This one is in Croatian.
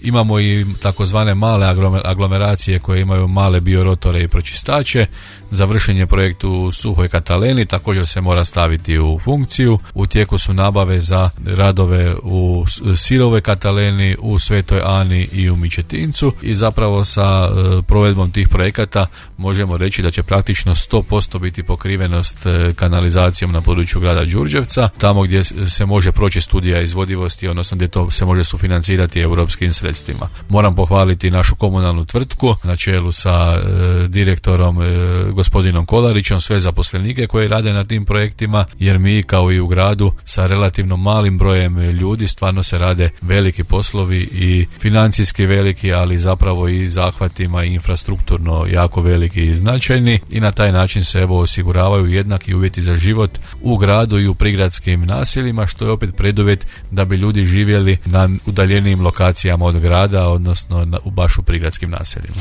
Imamo i takozvane male aglomeracije koje imaju male biorotore i pročistače. Završen je projekt u Suhoj Kataleni, također se mora staviti u funkciju. U tijeku su nabave za radove u Sirovoj Kataleni, u Svetoj Ani i u Mičetincu i zapravo sa provedbom tih projekata možemo reći da će praktično 100% biti pokrivenost kanalizacijom na području grada Đurđevca, tamo gdje se može proći studija izvodivosti, odnosno gdje to se može sufinancirati europskim sredstvima. Moram pohvaliti našu komunalnu tvrtku na čelu sa direktorom gospodinom Kolarićem, sve zaposlenike koji rade na tim projektima, jer mi kao i u gradu sa relativno malim brojem ljudi stvarno se rade veliki poslovi i financijski veliki, ali zapravo i zahvatima i infrastrukturno jako veliki i značajni i na taj način se osiguravaju jednaki uvjeti za život u gradu i u prigradskim naseljima, što je opet preduvjet da bi ljudi živjeli na udaljenijim lokacijama od grada, odnosno baš u prigradskim naseljima.